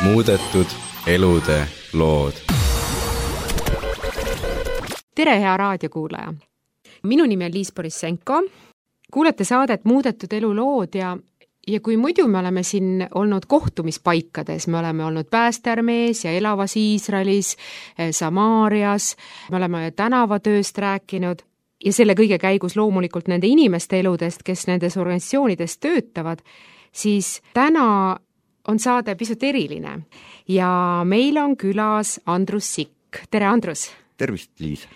Muudetud elude lood. Tere, hea raadiokuulaja! Minu nimi on Liis Borissenko. Kuulete saadet Muudetud elu lood ja kui muidu me oleme siin olnud kohtumispaikades, me oleme olnud Päästearmees ja Elavas Iisraelis, Samaarias, me oleme tänavatööst rääkinud ja selle kõige käigus loomulikult nende inimeste eludest, kes nendes organisatsioonides töötavad, siis täna on saade pisut eriline ja meil on külas Andrus Sikk. Tere, Andrus! Tervist, Liis!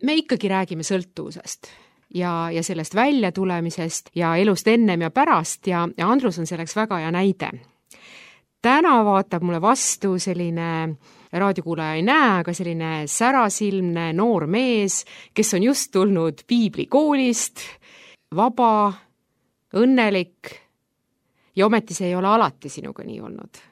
Me ikkagi räägime sõltuvusest ja sellest väljatulemisest ja elust ennem ja pärast ja Andrus on selleks väga hea näide. Täna vaatab mulle vastu selline, raadiokuulaja ei näe, aga selline särasilmne noor mees, kes on just tulnud piiblikoolist, vaba, õnnelik ja ometi see ei ole alati sinuga nii olnud.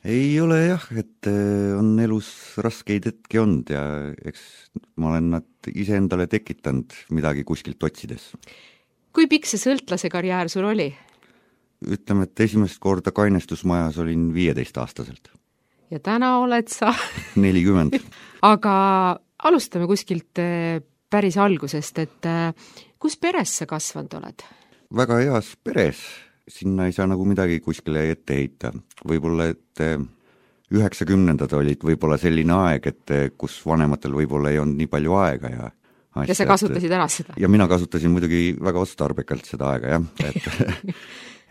Ei ole jah, et on elus raskeid hetki olnud ja eks ma olen nad ise endale tekitanud midagi kuskilt otsides. Kui pikk see sõltlase karjäär sul oli? Ütleme, et esimest korda kainestusmajas olin 15-aastaselt. Ja täna oled sa? 40. Aga alustame kuskilt päris algusest, et kus peres sa kasvanud oled? Väga heas peres. Sinna ei saa nagu midagi kuskile ette heita. Võib-olla, et 90-ndad olid võib-olla selline aeg, et kus vanematel võib-olla ei olnud nii palju aega ja sa kasutasid ära seda? Ja mina kasutasin muidugi väga otstarbekalt seda aega, jah.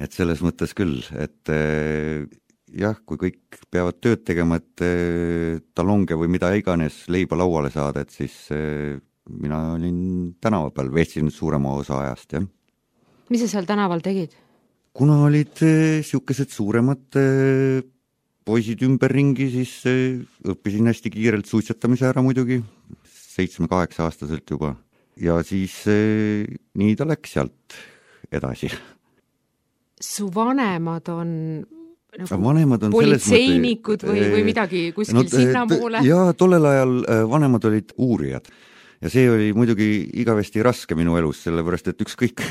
Et selles mõttes küll, et jah, kui kõik peavad tööd tegema, et talonge või mida iganes leiba lauale saada, et siis mina olin tänava peal, veetsin suurema osa ajast, jah. Mis sa seal tänaval tegid? Kuna olid siukesed suuremad poisid ümberringi, siis õppisin hästi kiirelt suitsetamise ära muidugi, 7-8 aastaselt juba. Ja siis nii ta läks sealt edasi. Su vanemad on politseinikud või midagi kuskil sinna poole? Jaa, tollel ajal vanemad olid uurijad. Ja see oli muidugi igavesti raske minu elus, sellepärast, et ükskõik,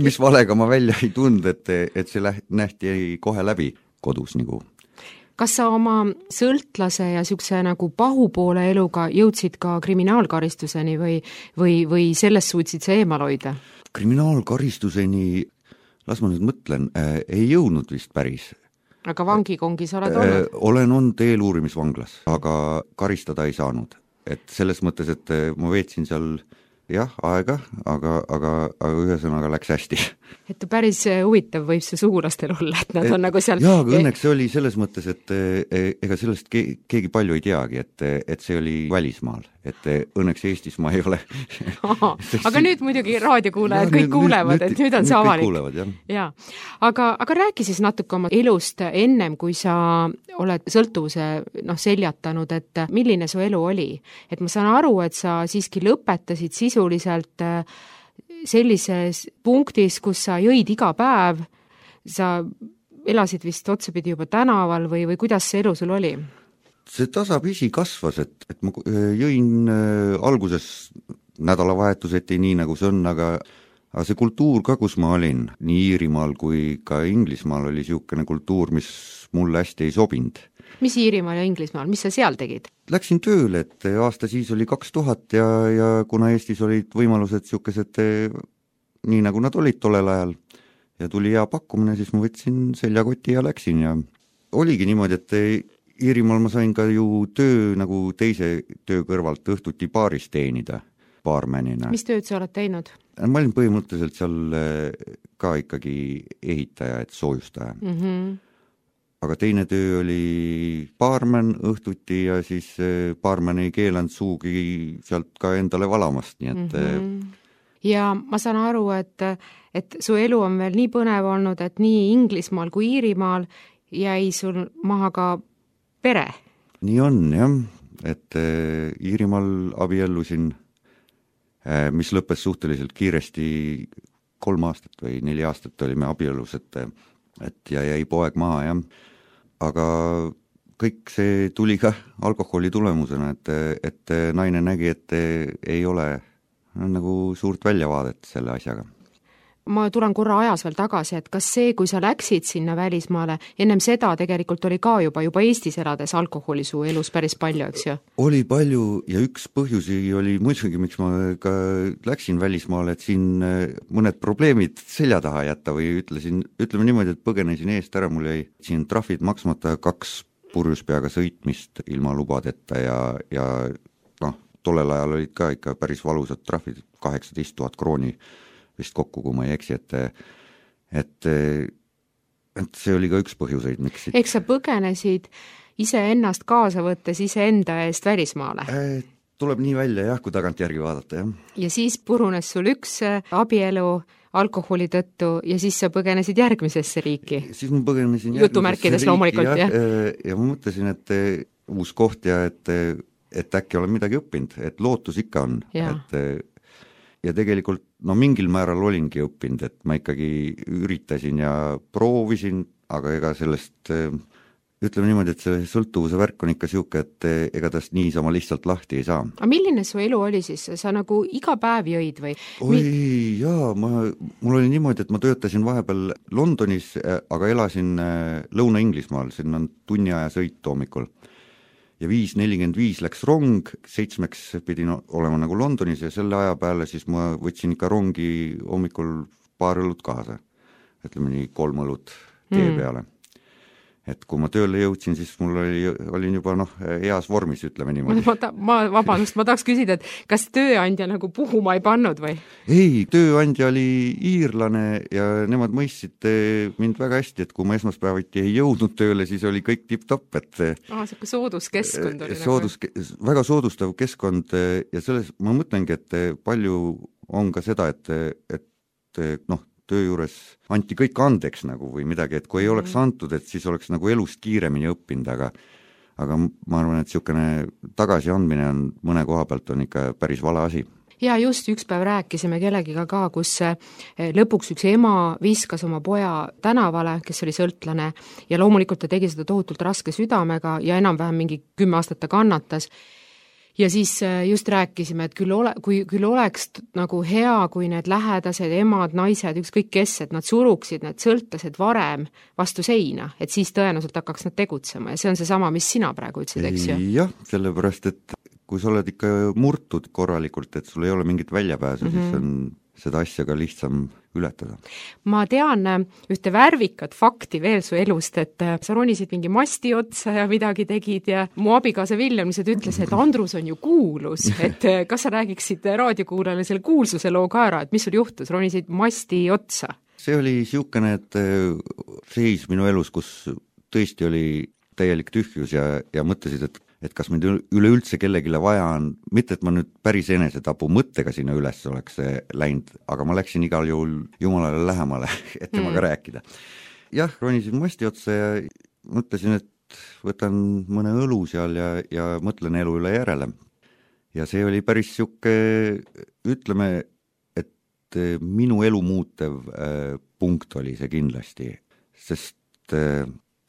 mis valega ma välja ei tund, et see nähti kohe läbi kodus nagu. Kas sa oma sõltlase ja siukse nagu pahupoole eluga jõudsid ka kriminaalkaristuseni või sellest suutsid sa eemal hoida? Kriminaalkaristuseni, las ma nüüd mõtlen, ei jõudnud vist päris. Aga vangikongis oled olnud? Olen olnud eeluurimisvanglas, aga karistada ei saanud. Et selles mõttes, et ma veetsin seal jah, aega, aga ühesõnaga läks hästi. Et päris huvitav võib see sugulastel olla, et nad on nagu seal... Jaa, aga õnneks see oli selles mõttes, et ega sellest keegi palju ei teagi, et see oli välismaal, et õnneks Eestis ma ei ole. Aga nüüd muidugi raadiokuulajad kõik kuulevad, et nüüd on see avalik. Kuulevad, jah. Aga räägi siis natuke oma elust ennem, kui sa oled sõltuvuse seljatanud, et milline su elu oli. Et ma saan aru, et sa siiski lõpetasid sisuliselt sellises punktis, kus sa jõid iga päev, sa elasid vist otsapidi juba tänaval või kuidas see elu sul oli? See tasapisi kasvas, et ma jõin alguses nädalavahetuseti nii nagu see on, aga see kultuur ka, kus ma olin, nii Iirimaal kui ka Inglismaal oli siukene kultuur, mis mulle hästi ei sobinud. Mis Iirimaal ja Inglismaal, mis sa seal tegid? Läksin tööle, et aasta siis oli 2000 ja kuna Eestis olid võimalused siukesed nii nagu nad olid tollel ajal ja tuli hea pakkumine, siis ma võtsin seljakoti ja läksin ja oligi niimoodi, et Iirimaal ma sain ka ju töö nagu teise töö kõrvalt õhtuti baaris teenida, baarmänina. Mis tööd sa oled teinud? Ma olin põhimõtteliselt seal ka ikkagi ehitaja, et soojustaja. Aga teine töö oli baarmän õhtuti ja siis baarmän ei keelanud suugi sealt ka endale valamast, nii et Ja ma saan aru, et su elu on veel nii põnev olnud, et nii Inglismaal kui Iirimaal jäi sul maha ka pere. Nii on, jah, et Iirimaal abiellusin, mis lõppes suhteliselt kiiresti 3 aastat või 4 aastat olime abiellus, et jäi poeg maha, jah. Aga kõik see tuli ka alkoholi tulemusena, et naine nägi, et ei ole nagu suurt väljavaadet selle asjaga. ma tulen korra ajas veel tagasi, et kas see, kui sa läksid sinna välismaale, ennem seda tegelikult oli ka juba Eestis elades alkoholi su elus päris palju, eks ju? Oli palju ja üks põhjusi oli muidugi, miks ma ka läksin välismaale, et siin mõned probleemid selja taha jätta või ütleme niimoodi, et põgenesin eest ära, mul jäi siin trahvid maksmata 2 purjus peaga sõitmist ilma lubadeta ja tollel ajal olid ka ikka päris valusad trahvid, 18 000 krooni vist kokku, kui ma ei eksi, et see oli ka üks põhjuseid, miks Eks sa põgenesid iseennast kaasa võttes iseenda eest välismaale? Tuleb nii välja jah, kui tagantjärgi vaadata, jah. Ja siis purunes sul üks abielu alkoholi tõttu ja siis sa põgenesid järgmisesse riiki? Siis ma põgenesin jutumärkides loomulikult, jah. Ja ma mõtlesin, et uus koht ja et äkki olen midagi õppinud, et lootus ikka on, ja tegelikult mingil määral olingi õppinud, et ma ikkagi üritasin ja proovisin, aga ega sellest, ütleme niimoodi, et see sõltuvuse värk on ikka siuke, et ega tast niisama lihtsalt lahti ei saa. Aga milline su elu oli siis? Sa nagu iga päev jõid või? Mul oli niimoodi, et ma töötasin vahepeal Londonis, aga elasin Lõuna-Inglismaal, siin on tunni aja sõit hommikul. Ja 5:45 läks rong, 7 pidin olema nagu Londonis ja selle aja peale siis ma võtsin ikka rongi hommikul 2 õlut kaasa. Ütleme nii 3 õlut tee peale. Et kui ma tööle jõudsin, siis mul olin juba heas vormis, ütleme niimoodi. Ma tahaks küsida, et kas tööandja nagu puhuma ei pannud või? Ei, tööandja oli iirlane ja nemad mõistsid mind väga hästi, et kui ma esmaspäeviti ei jõudnud tööle, siis oli kõik tipp-topp, et selline sooduskeskkond oli väga soodustav keskkond ja selles ma mõtlengi, et palju on ka seda, et töö juures anti kõik andeks nagu või midagi, et kui ei oleks antud, et siis oleks nagu elust kiiremini õppinud, aga ma arvan, et niisugune tagasiandmine on mõne koha pealt on ikka päris vale asi. Ja just üks päev rääkisime kellegiga ka, kus lõpuks üks ema viskas oma poja tänavale, kes oli sõltlane ja loomulikult ta tegi seda tohutult raske südamega ja enam-vähem mingi 10 aastat ta kannatas. Ja siis just rääkisime, et küll oleks nagu hea, kui need lähedased, emad, naised, ükskõik kes, et nad suruksid need sõltlased varem vastu seina, et siis tõenäoliselt hakkaks nad tegutsema ja see on seesama, mis sina praegu ütlesid, eks ju? Jah, sellepärast, et kui sa oled ikka murtud korralikult, et sul ei ole mingit väljapääsu, siis on seda asja ka lihtsam ületada. Ma tean ühte värvikat fakti veel su elust, et sa ronisid mingi masti otsa ja midagi tegid ja mu abikaasa Viljem lihtsalt ütles, et Andrus on ju kuulus, et kas sa räägiksid raadiokuulajale selle kuulsuse loo ka ära, et mis sul juhtus, ronisid masti otsa? See oli siukene, et seis minu elus, kus tõesti oli täielik tühjus ja mõtlesid, et kas mind üleüldse kellegile vaja on, mitte et ma nüüd päris enesetapu mõttega sinna üles oleks läinud, aga ma läksin igal juhul Jumalale lähemale, et temaga rääkida. Jah, ronisin masti otsa ja mõtlesin, et võtan mõne õlu seal ja mõtlen elu üle järele. Ja see oli päris siuke, ütleme, et minu elu muutev punkt oli see kindlasti, sest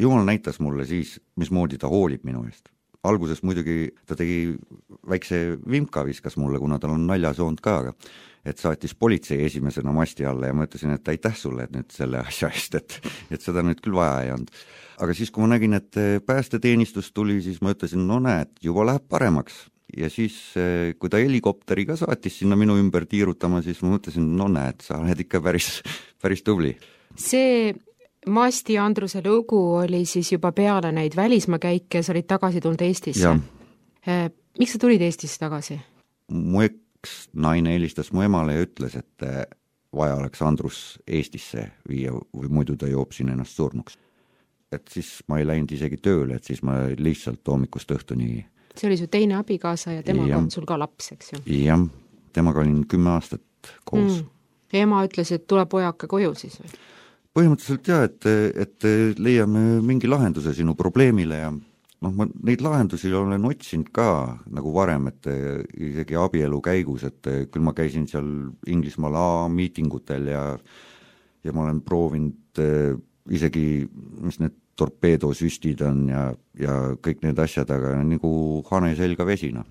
Jumal näitas mulle siis, mismoodi ta hoolib minu eest. Alguses muidugi ta tegi väikse vimka viskas mulle, kuna tal on naljasoond ka, et saatis politsei esimesena masti alla ja ma ütlesin, et aitäh sulle nüüd selle asja eest, et seda nüüd küll vaja ei olnud. Aga siis, kui ma nägin, et päästeteenistus tuli, siis ma ütlesin, näed, juba läheb paremaks. Ja siis, kui ta helikopteri ka saatis sinna minu ümber tiirutama, siis ma mõtlesin, näed, sa oled ikka päris tubli. See Masti Andruse lugu oli siis juba peale neid välismaakäike ja sa olid tagasi tulnud Eestisse. Miks sa tulid Eestisse tagasi? Mu üks naine helistas mu emale ja ütles, et vaja oleks Andrus Eestisse viia või muidu ta joob siin ennast surnuks. Et siis ma ei läinud isegi tööle, et siis ma lihtsalt hommikust õhtuni. See oli su teine abikaasa ja temaga on sul ka laps, eks ju? Jah, temaga olin 10 aastat koos. Ema ütles, et tule pojake koju siis või? Põhimõtteliselt jah, et leiame mingi lahenduse sinu probleemile ja ma neid lahendusi olen otsinud ka nagu varem, et isegi abielu käigus, et küll ma käisin seal Inglismaal A-miitingutel ja ma olen proovinud isegi, mis need torpeedosüstid on ja kõik need asjad, aga nagu hane selga vesina.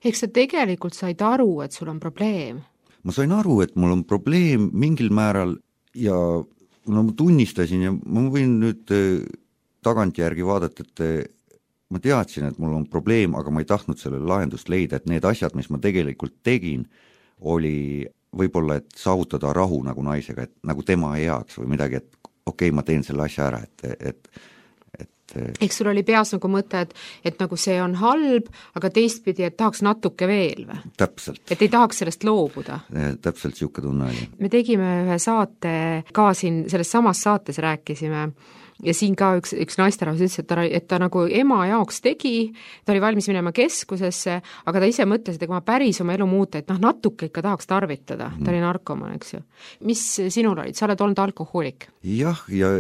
Eks sa tegelikult said aru, et sul on probleem? ma sain aru, et mul on probleem mingil määral ja no ma tunnistasin ja ma võin nüüd tagantjärgi vaadata, et ma teadsin, et mul on probleem, aga ma ei tahtnud sellele lahendust leida, et need asjad, mis ma tegelikult tegin, oli võib-olla, et saavutada rahu nagu naisega, et nagu tema heaks või midagi, et okei, ma teen selle asja ära, et eks sul oli peas nagu mõte, et nagu see on halb, aga teistpidi, et tahaks natuke veel või? Täpselt. Et ei tahaks sellest loobuda? Täpselt siuke tunne oli. Me tegime ühe saate, ka siin selles samas saates rääkisime, ja siin ka üks naisterahvas ütles, et ta nagu ema jaoks tegi, ta oli valmis minema keskusesse, aga ta ise mõtles, et ega ma päris oma elu muuta, et natuke ikka tahaks tarvitada, ta oli narkoman, eks ju. Mis sinul olid, sa oled olnud alkohoolik? Jah, ja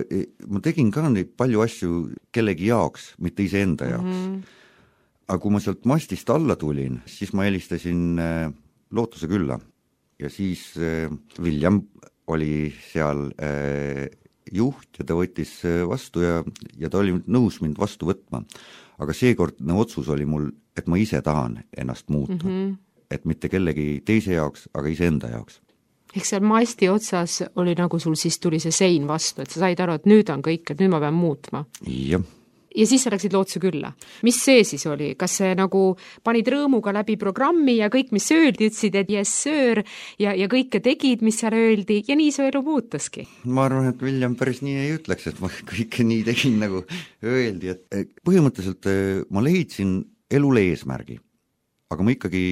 ma tegin ka neid palju asju kellegi jaoks, mitte iseenda jaoks. Aga kui ma sealt mastist alla tulin, siis ma helistasin Lootuse külla ja siis William oli seal juht ja ta võttis vastu ja ta oli nõus mind vastu võtma. Aga seekordne otsus oli mul, et ma ise tahan ennast muuta. Et mitte kellegi teise jaoks, aga iseenda jaoks. Ehk seal masti otsas oli nagu sul siis tuli see sein vastu, et sa said aru, et nüüd on kõik, et nüüd ma pean muutma. Jah. Ja siis sa läksid Lootuse külla. Mis see siis oli? Kas see nagu panid rõõmuga läbi programmi ja kõik, mis öeldi, ütlesid, et yes sir ja kõike tegid, mis seal öeldi ja nii su elu muutuski? Ma arvan, et William päris nii ei ütleks, et ma kõike nii tegin, nagu öeldi, et põhimõtteliselt ma leidsin elule eesmärgi, aga ma ikkagi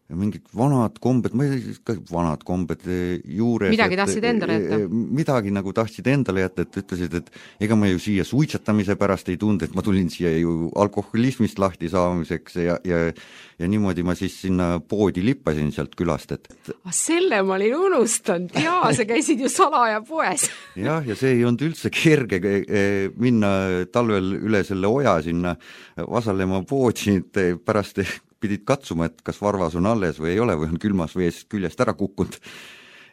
mingid vanad kombed, ma ei tea, vanad kombed juures. Midagi tahtsid endale jätta? Midagi nagu tahtsid endale jätta, et ütlesid, et ega ma ju siia suitsetamise pärast ei tunde, et ma tulin siia ju alkoholismist lahti saamiseks ja niimoodi ma siis sinna poodi lippasin sealt külast, et selle ma olin unustanud, jaa, sa käisid ju salaja poes. Jah, ja see ei olnud üldse kerge minna talvel üle selle oja sinna Vasalema poodi, pärast pidid katsuma, et kas varvas on alles või ei ole või on külmas vees küljest ära kukkunud.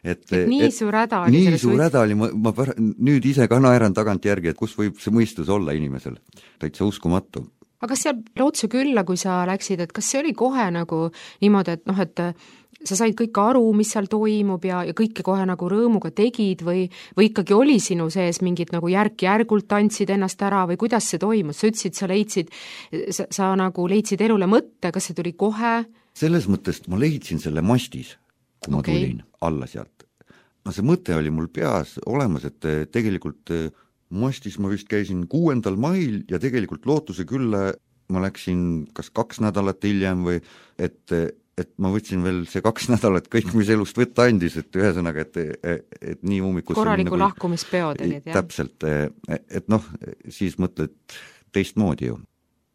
Nii suur häda oli. Nii suur häda oli, ma nüüd ise ka naeran tagantjärgi, et kus võib see mõistus olla inimesel. Täitsa uskumatu. Aga kas seal Lootuse külla, kui sa läksid, et kas see oli kohe nagu niimoodi, et sa said kõik aru, mis seal toimub ja kõike kohe nagu rõõmuga tegid või ikkagi oli sinu sees mingid nagu järk-järgult tantsid ennast ära või kuidas see toimus? Sa ütlesid, sa nagu leidsid elule mõtte, kas see tuli kohe? Selles mõttes ma leidsin selle mastis, kui ma tulin alla sealt. No see mõte oli mul peas olemas, et tegelikult mastis ma vist käisin 6. mail ja tegelikult Lootuse külla ma läksin kas 2 nädalat hiljem või et ma võtsin veel see 2 nädalat kõik, mis elust võtta andis, et ühesõnaga, et nii ummikust korraliku lahkumispeod olid, jah? Täpselt, et noh, siis mõtled teistmoodi ju.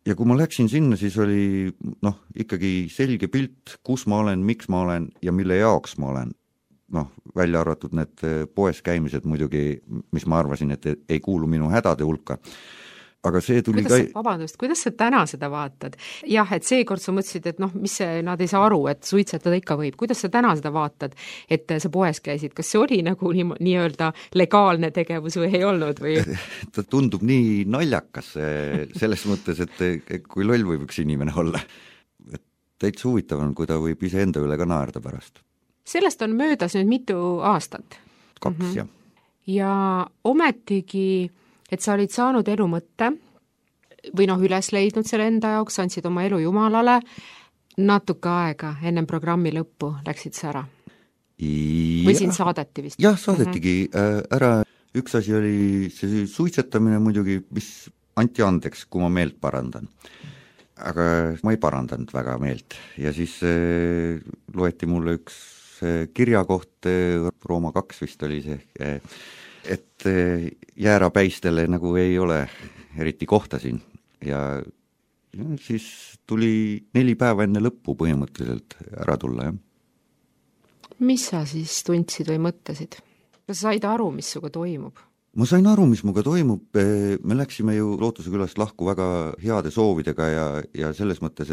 Ja kui ma läksin sinna, siis oli ikkagi selge pilt, kus ma olen, miks ma olen ja mille jaoks ma olen. Välja arvatud need poes käimised muidugi, mis ma arvasin, et ei kuulu minu hädade hulka. Aga see tuli kuidas sa täna seda vaatad? Jah, et seekord sa mõtlesid, et mis nad ei saa aru, et suitsetada ikka võib. Kuidas sa täna seda vaatad, et sa poes käisid? Kas see oli nagu nii-öelda legaalne tegevus või ei olnud? Või? Ta tundub nii naljakas selles mõttes, et kui loll võib üks inimene olla. Täitsa huvitav on, kui ta võib iseenda üle ka naerda pärast. Sellest on möödas nüüd mitu aastat? 2, jah. Ja ometigi et sa olid saanud elu mõtte või üles leidnud selle enda jaoks, andsid oma elu Jumalale, natuke aega ennem programmi lõppu läksid sa ära? Või sind saadeti vist? Jah, saadetigi ära. Üks asi oli see suitsetamine muidugi, mis anti andeks, kui ma meelt parandan. Aga ma ei parandanud väga meelt ja siis loeti mulle üks kirjakoht, Rooma 2 vist oli see, et jäärapäistele nagu ei ole eriti kohta siin ja siis tuli 4 päeva enne lõppu põhimõtteliselt ära tulla, jah. Mis sa siis tundsid või mõtlesid? Kas sa said aru, mis suga toimub? Ma sain aru, mis muga toimub, me läksime ju Lootuse külast lahku väga heade soovidega ja selles mõttes,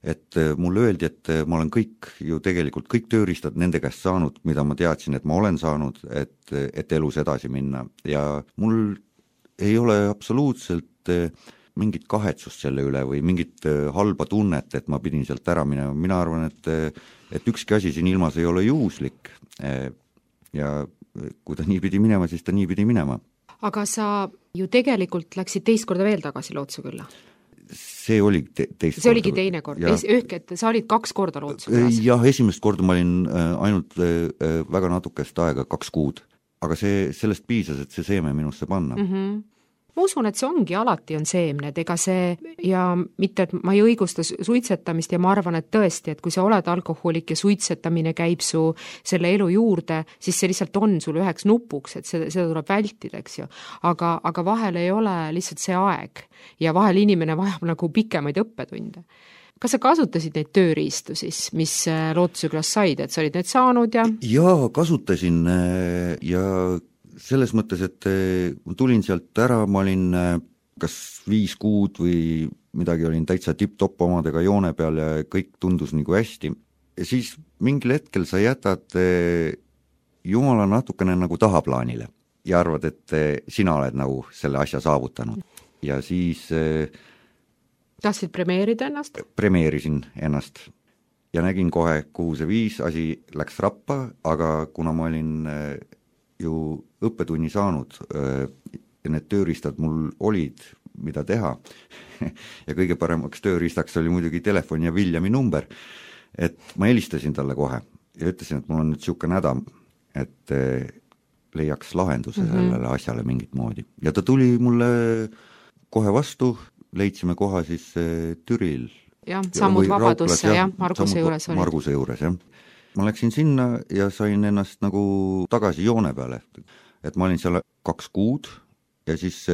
et mulle öeldi, et ma olen kõik tööriistad nende käest saanud, mida ma teadsin, et ma olen saanud, et elus edasi minna ja mul ei ole absoluutselt mingit kahetsust selle üle või mingit halba tunnet, et ma pidin sealt ära minema. Mina arvan, et ükski asi siin ilmas ei ole juhuslik ja kui ta nii pidi minema, siis ta nii pidi minema. Aga sa ju tegelikult läksid teist korda veel tagasi Lootsukülla? See oli teist see oligi teine kord, et sa olid 2 korda Lootsuküllas? Jah, esimest korda ma olin ainult väga natukest aega, 2 kuud. Aga sellest piisas, et see seeme minusse panna. Ma usun, et see ongi alati on seemned, ega see ja mitte, et ma ei õigusta suitsetamist ja ma arvan, et tõesti, et kui sa oled alkohoolik ja suitsetamine käib su selle elu juurde, siis see lihtsalt on sul üheks nupuks, et seda tuleb vältida, eks ju. Aga vahel ei ole lihtsalt see aeg ja vahel inimene vajab nagu pikemaid õppetunde. Kas sa kasutasid neid tööriistu siis, mis Lootsukülas said, et sa olid need saanud ja? Jaa, kasutasin ja selles mõttes, et ma tulin sealt ära, ma olin kas 5 kuud või midagi, olin täitsa tipp-topp omadega joone peal ja kõik tundus nagu hästi. Ja siis mingil hetkel sa jätad Jumala natukene nagu tahaplaanile ja arvad, et sina oled nagu selle asja saavutanud. Ja siis tahtsid premeerida ennast? Premeerisin ennast ja nägin kohe, kuhu see viis, asi läks rappa, aga kuna ma olin ju õppetunni saanud ja need tööriistad mul olid, mida teha ja kõige paremaks tööriistaks oli muidugi telefon ja Viljami number, et ma helistasin talle kohe ja ütlesin, et mul on nüüd niisugune häda, et leiaks lahenduse sellele asjale mingit moodi. Ja ta tuli mulle kohe vastu, leidsime koha siis Türil. Jah, sammud Vabadusse, jah, Marguse juures oli. Marguse juures, jah. Ma läksin sinna ja sain ennast nagu tagasi joone peale, et ma olin seal 2 kuud ja siis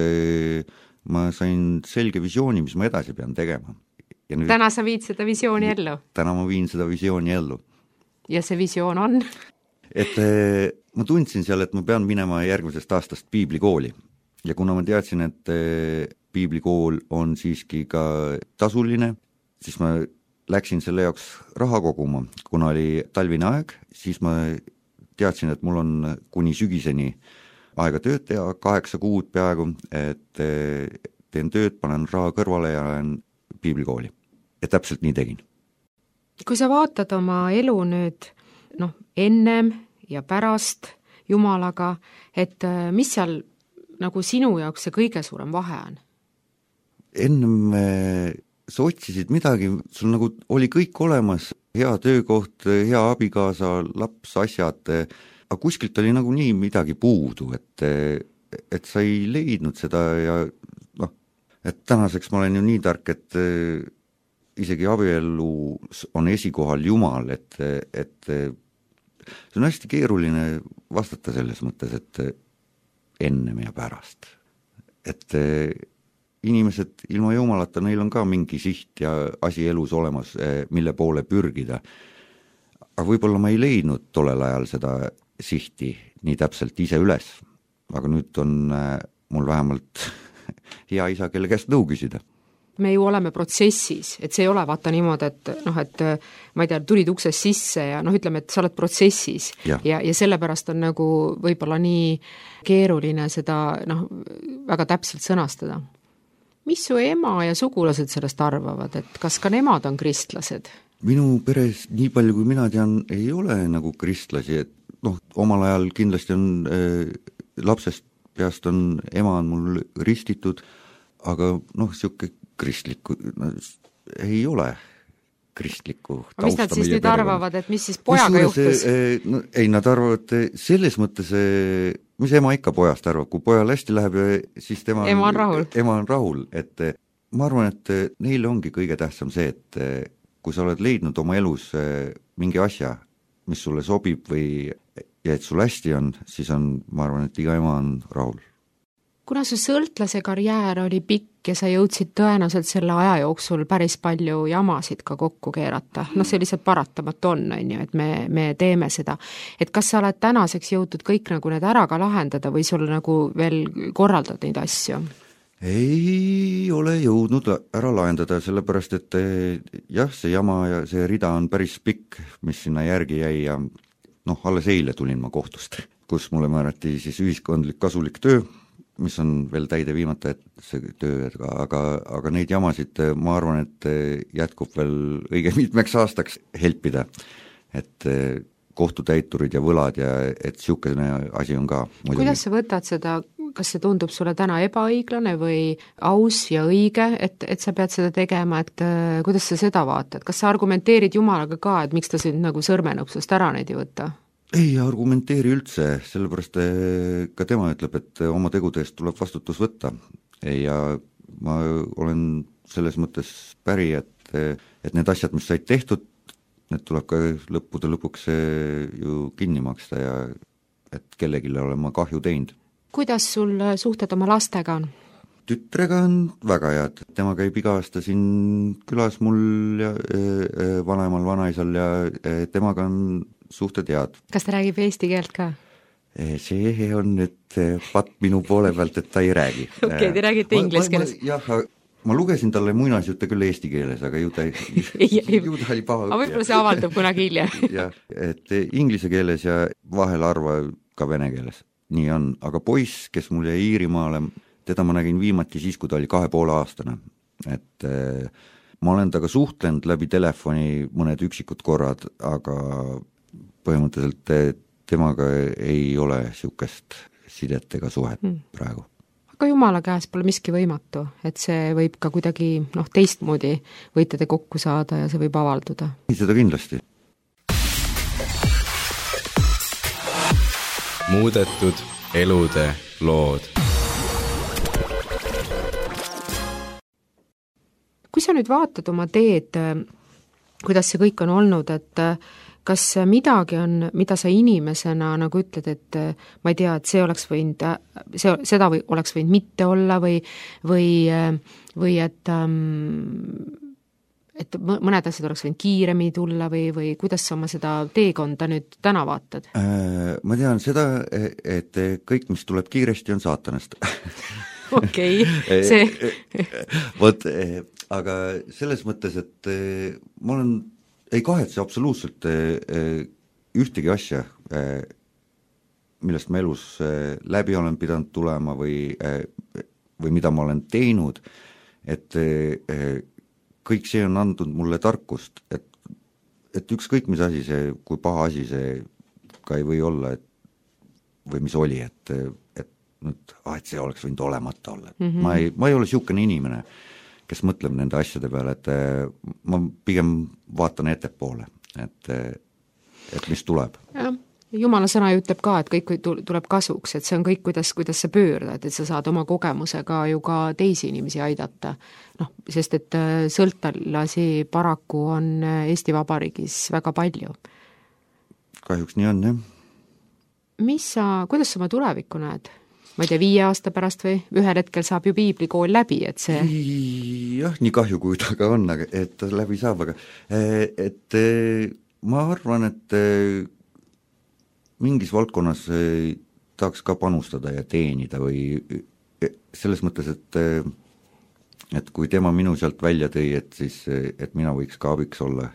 ma sain selge visiooni, mis ma edasi pean tegema. Ja nüüd, täna sa viid seda visiooni ellu? Täna ma viin seda visiooni ellu. Ja see visioon on? Et ma tundsin seal, et ma pean minema järgmisest aastast piiblikooli ja kuna ma teadsin, et piiblikool on siiski ka tasuline, siis ma läksin selle jaoks raha koguma, kuna oli talvine aeg, siis ma teadsin, et mul on kuni sügiseni aega tööd teha, 8 kuud peaaegu, et teen tööd, panen raha kõrvale ja lähen piiblikooli. Ja täpselt nii tegin. Kui sa vaatad oma elu nüüd ennem ja pärast Jumalaga, et mis seal nagu sinu jaoks see kõige suurem vahe on? Ennem sa otsisid midagi, sul nagu oli kõik olemas, hea töökoht, hea abikaasa, laps, asjad, aga kuskilt oli nagu nii midagi puudu, et sa ei leidnud seda ja et tänaseks ma olen ju nii tark, et isegi abielu on esikohal Jumal, et see on hästi keeruline vastata selles mõttes, et ennem ja pärast. Et inimesed ilma Jumalata, neil on ka mingi siht ja asi elus olemas, mille poole pürgida. Aga võib-olla ma ei leidnud tollel ajal seda sihti nii täpselt ise üles, aga nüüd on mul vähemalt hea isa, kelle käest nõu küsida. Me ju oleme protsessis, et see ei ole vaata niimoodi, et ma ei tea, tulid uksest sisse ja ütleme, et sa oled protsessis ja sellepärast on nagu võib-olla nii keeruline seda väga täpselt sõnastada. Mis su ema ja sugulased sellest arvavad, et kas ka nemad on kristlased? Minu peres, nii palju kui mina tean, ei ole nagu kristlasi, et omal ajal kindlasti on lapsest peast on ema on mul ristitud, aga siuke kristlikku ei ole kristlikku tausta. Mis nad siis nüüd arvavad, et mis siis pojaga juhtus? Ei, nad arvavad selles mõttes, mis ema ikka pojast arvab, kui pojal hästi läheb, siis ema on rahul. Et ma arvan, et neile ongi kõige tähtsam see, et kui sa oled leidnud oma elus mingi asja, mis sulle sobib ja et sul hästi on, siis ma arvan, et iga ema on rahul. Kuna su sõltlase karjäär oli pikk ja sa jõudsid tõenäoliselt selle aja jooksul päris palju jamasid ka kokku keerata, see lihtsalt paratamatu on, et me teeme seda. Et kas sa oled tänaseks jõutud kõik nagu need ära ka lahendada või sul nagu veel korraldad neid asju? Ei ole jõudnud ära lahendada, sellepärast et jah, see jama ja see rida on päris pikk, mis sinna järgi jäi ja alles eile tulin ma kohtust, kus mulle määrati siis ühiskondlik kasulik töö mis on veel täide viimata, et see töö, aga neid jamasid ma arvan, et jätkub veel õige mitmeks aastaks helpida, et kohtutäiturid ja võlad ja et niisugune asi on ka muidugi. Kuidas sa võtad seda, kas see tundub sulle täna ebaõiglane või aus ja õige, et sa pead seda tegema, et kuidas sa seda vaatad, kas sa argumenteerid Jumalaga ka, et miks ta sind nagu sõrmenupsust ära neid ei võta? Ei argumenteeri üldse, sellepärast ka tema ütleb, et oma tegude eest tuleb vastutus võtta ja ma olen selles mõttes päri, et need asjad, mis said tehtud, need tuleb ka lõppude lõpuks ju kinni maksta ja et kellelegi olen ma kahju teinud. Kuidas sul suhted oma lastega on? Tütrega on väga head, tema käib iga aasta siin külas mul ja vanemal vanaisal ja temaga on suhted head. Kas ta räägib eesti keelt ka? See on nüüd patt minu poole pealt, et ta ei räägi. Okei, te räägite inglise keeles. Jah, ma lugesin talle muinasjutte küll eesti keeles, aga ju ta oli paha. Aga võib-olla see avaldub kunagi hiljem. Jah, et inglise keeles ja vahel harva ka vene keeles. Nii on, aga poiss, kes mul jäi Iirimaale, teda ma nägin viimati siis, kui ta oli 2,5-aastane. Et ma olen taga suhtlenud läbi telefoni mõned üksikud korrad, aga põhimõtteliselt temaga ei ole niisugust sidet ega suhet praegu. Aga Jumala käes pole miski võimatu, et see võib ka kuidagi teistmoodi võite te kokku saada ja see võib avalduda. Seda kindlasti. Muudetud elude lood. Kui sa nüüd vaatad oma teed, kuidas see kõik on olnud, et kas midagi on, mida sa inimesena nagu ütled, et ma ei tea, et see oleks võinud, seda oleks võinud mitte olla või et mõned asjad oleks võinud kiiremini tulla või kuidas sa oma seda teekonda nüüd täna vaatad? Ma tean seda, et kõik, mis tuleb kiiresti, on saatanast. Okei, see vot, aga selles mõttes, et ma ei kahetse absoluutselt ühtegi asja, millest ma elus läbi olen pidanud tulema või mida ma olen teinud, et kõik see on andnud mulle tarkust, et ükskõik mis asi see, kui paha asi see ka ei või olla, või mis oli, et see oleks võinud olemata olla. Ma ei ole niisugune inimene, kes mõtleb nende asjade peale, et ma pigem vaatan ettepoole, et mis tuleb. Jumala sõna ütleb ka, et kõik tuleb kasuks, et see on kõik, kuidas sa pöördad, et sa saad oma kogemusega ju ka teisi inimesi aidata. Sest et sõltlasi paraku on Eesti Vabariigis väga palju. Kahjuks nii on, jah. Kuidas sa oma tulevikku näed? Ma ei tea, 5 aasta pärast või ühel hetkel saab ju piiblikool läbi, et see... Jah, nii kahju, kui ta ka on, et ta läbi saab, aga et ma arvan, et mingis valdkonnas tahaks ka panustada ja teenida või selles mõttes, et kui tema minu sealt välja tõi, et siis, et mina võiks ka abiks olla,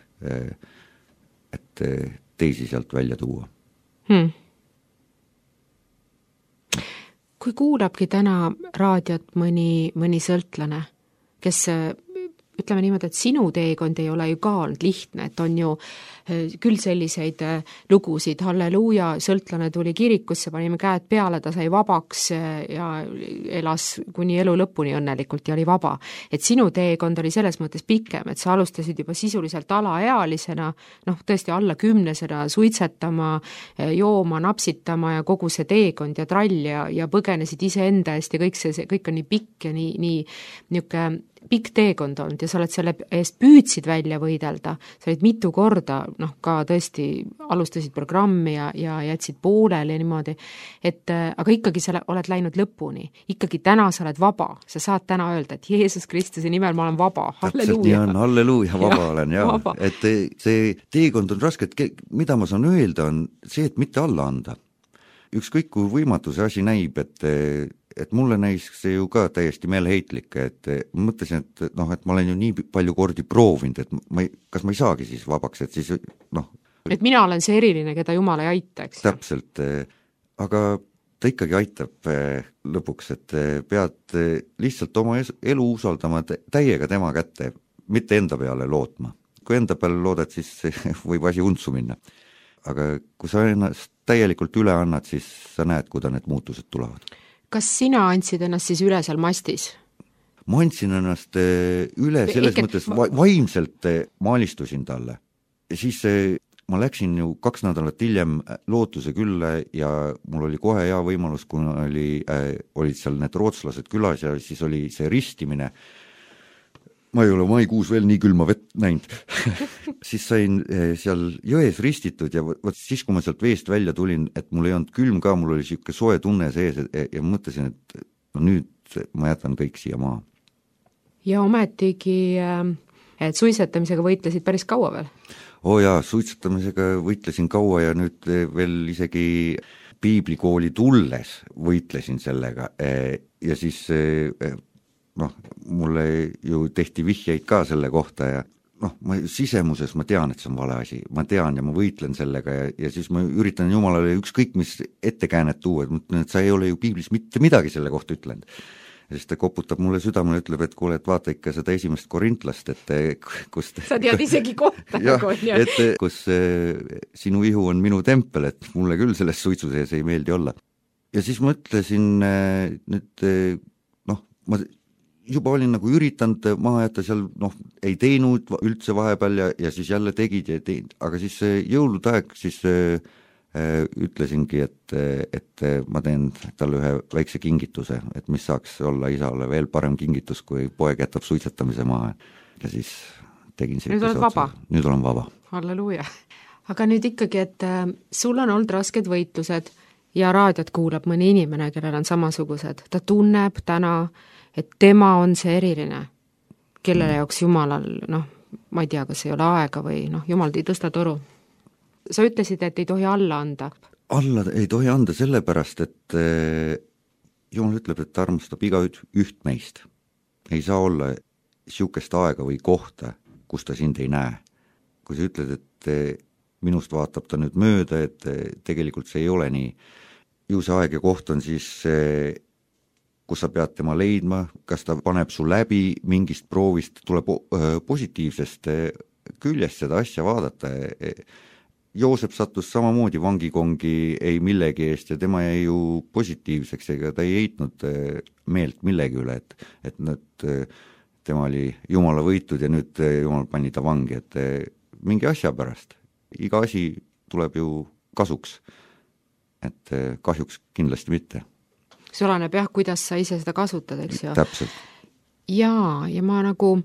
et teisi sealt välja tuua. Kui kuulabki täna raadiot mõni sõltlane, kes ütleme niimoodi, et sinu teekond ei ole ju ka olnud lihtne, et on ju küll selliseid lugusid, halleluuja, sõltlane tuli kirikusse, panime käed peale, ta sai vabaks ja elas kuni elu lõpuni õnnelikult ja oli vaba. Et sinu teekond oli selles mõttes pikem, et sa alustasid juba sisuliselt alaealisena, tõesti alla 10-sena suitsetama, jooma, napsitama ja kogu see teekond ja trall ja põgenesid iseenda eest ja kõik on nii pikk ja nii pikk teekond olnud ja sa oled selle eest püüdsid välja võidelda, sa olid mitu korda, ka tõesti alustasid programmi ja jätsid pooleli ja niimoodi, aga ikkagi sa oled läinud lõpuni, ikkagi täna sa oled vaba, sa saad täna öelda, et Jeesus Kristuse nimel ma olen vaba, halleluuja. Nii on, halleluuja, vaba olen, jah. Et see teekond on raske, et mida ma saan öelda on see, et mitte alla anda. Ükskõik kui võimatu see asi näib, et mulle näis see ju ka täiesti meelheitlik, et ma mõtlesin, et ma olen ju nii palju kordi proovinud, et kas ma ei saagi siis vabaks, et siis Et mina olen see eriline, keda Jumal ei aita, eks? Täpselt, aga ta ikkagi aitab lõpuks, et pead lihtsalt oma elu usaldama täiega tema kätte, mitte enda peale lootma. Kui enda peale loodad, siis võib asi untsu minna. Aga kui sa ennast täielikult üle annad, siis sa näed, kuida need muutused tulevad. Kas sina andsid ennast siis üle seal mastis? Ma andsin ennast üle selles mõttes vaimselt maalistusin talle. Ja siis ma läksin ju 2 nädalat hiljem Lootuse külla ja mul oli kohe hea võimalus, kui olid seal need rootslased külas ja siis oli see ristimine. Ma ei ole maikuus veel nii külma vett näinud. Siis sain seal jões ristitud ja siis, kui ma sealt veest välja tulin, et mul ei olnud külm ka, mul oli siuke soe tunne sees ja mõtlesin, et no nüüd ma jätan kõik siia maha. Ja ometigi, et suitsetamisega võitlesid päris kaua veel? Jaa, suitsetamisega võitlesin kaua ja nüüd veel isegi piiblikooli tulles võitlesin sellega ja siis mulle ju tehti vihjeid ka selle kohta ja sisemuses ma tean, et see on vale asi, ma tean ja ma võitlen sellega ja siis ma üritan Jumalale ükskõik mis ettekäänet tuua, et mõtlen, et sa ei ole ju piiblis mitte midagi selle kohta ütlenud. Ja siis ta koputab mulle südamele ja ütleb, et kuule, et vaata ikka seda 1. Korintlast, et kust... Sa tead isegi kohta. Et kus sinu ihu on minu tempel, et mulle küll selles suitsu sees ei meeldi olla. Ja siis mõtlesin, nüüd, ma juba olin nagu üritanud maha jätta seal, ei teinud üldse vahepeal ja siis jälle tegid ja teinud, aga siis jõulude aeg siis ütlesingi, et ma teen talle ühe väikse kingituse, et mis saaks olla isale veel parem kingitus, kui poeg jätab suitsetamise maha. Ja siis tegin see. Nüüd oled vaba? Nüüd olen vaba. Halleluuja. Aga nüüd ikkagi, et sul on olnud rasked võitlused ja raadiot kuulab mõni inimene, kellel on samasugused. Ta tunneb täna, et tema on see eriline, kellele jaoks Jumalal, ma ei tea, kas ei ole aega või Jumal ei tõsta toru. Sa ütlesid, et ei tohi alla anda. Alla ei tohi anda sellepärast, et Jumal ütleb, et ta armastab iga üht meist. Ei saa olla siukest aega või kohta, kus ta sind ei näe. Kui sa ütled, et minust vaatab ta nüüd mööda, et tegelikult see ei ole nii. Ju see aeg ja koht on siis, kus sa pead tema leidma, kas ta paneb su läbi mingist proovist, tuleb positiivsest küljest seda asja vaadata. Joosep sattus samamoodi vangikongi ei millegi eest ja tema jäi ju positiivseks, ega ta ei heitnud meelt millegi üle, et tema oli Jumala võitud ja nüüd Jumal pani ta vangi, et mingi asja pärast. Iga asi tuleb ju kasuks, et kahjuks kindlasti mitte. See oleneb jah, kuidas sa ise seda kasutad, eks ju? Täpselt. Ja ma nagu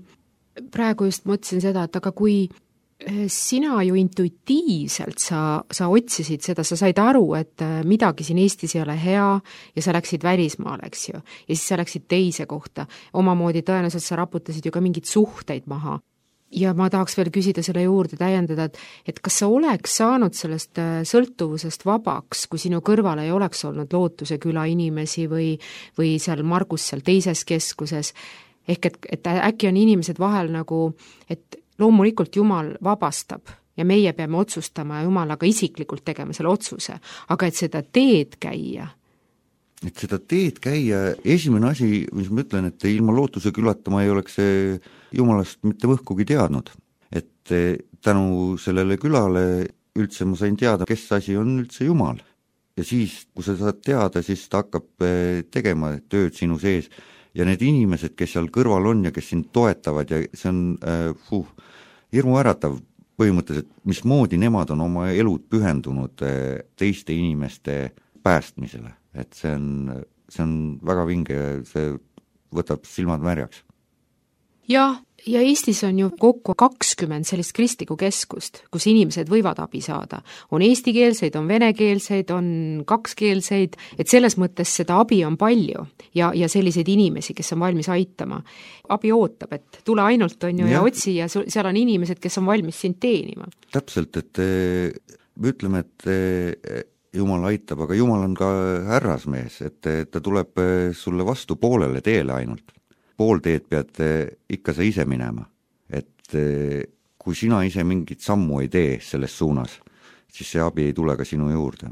praegu just mõtlesin seda, et aga kui sina ju intuitiivselt sa otsisid seda, sa said aru, et midagi siin Eestis ei ole hea ja sa läksid välismaale, eks ju. Ja siis sa läksid teise kohta. Omamoodi tõenäoliselt sa raputasid ju ka mingid suhteid maha. Ja ma tahaks veel küsida selle juurde täiendada, et kas sa oleks saanud sellest sõltuvusest vabaks, kui sinu kõrval ei oleks olnud Lootuse küla inimesi või seal Margus seal teises keskuses. Ehk et äkki on inimesed vahel nagu, et loomulikult Jumal vabastab ja meie peame otsustama ja Jumalaga isiklikult tegema selle otsuse, aga et seda teed käia. Et seda teed käia, esimene asi, mis ma ütlen, et ilma Lootuse külata ma ei oleks Jumalast mitte võhkugi teadnud. Et tänu sellele külale üldse ma sain teada, kes asi on üldse Jumal. Ja siis, kui sa saad teada, siis ta hakkab tegema tööd sinu sees. Ja need inimesed, kes seal kõrval on ja kes sind toetavad ja see on hirmu äratav põhimõtteliselt, mismoodi nemad on oma elud pühendunud teiste inimeste päästmisele. Et see on väga vinge ja see võtab silmad märjaks. Ja Eestis on ju kokku 20 sellist kristlikku keskust, kus inimesed võivad abi saada. On eestikeelseid, on venekeelseid, on kakskeelseid, et selles mõttes seda abi on palju ja selliseid inimesi, kes on valmis aitama. Abi ootab, et tule ainult on ju ja otsi ja seal on inimesed, kes on valmis sind teenima. Täpselt, et me ütleme, et Jumal aitab, aga Jumal on ka härrasmees, et ta tuleb sulle vastu poolele teele ainult. Pool teed pead ikka sa ise minema, et kui sina ise mingit sammu ei tee selles suunas, siis see abi ei tule ka sinu juurde.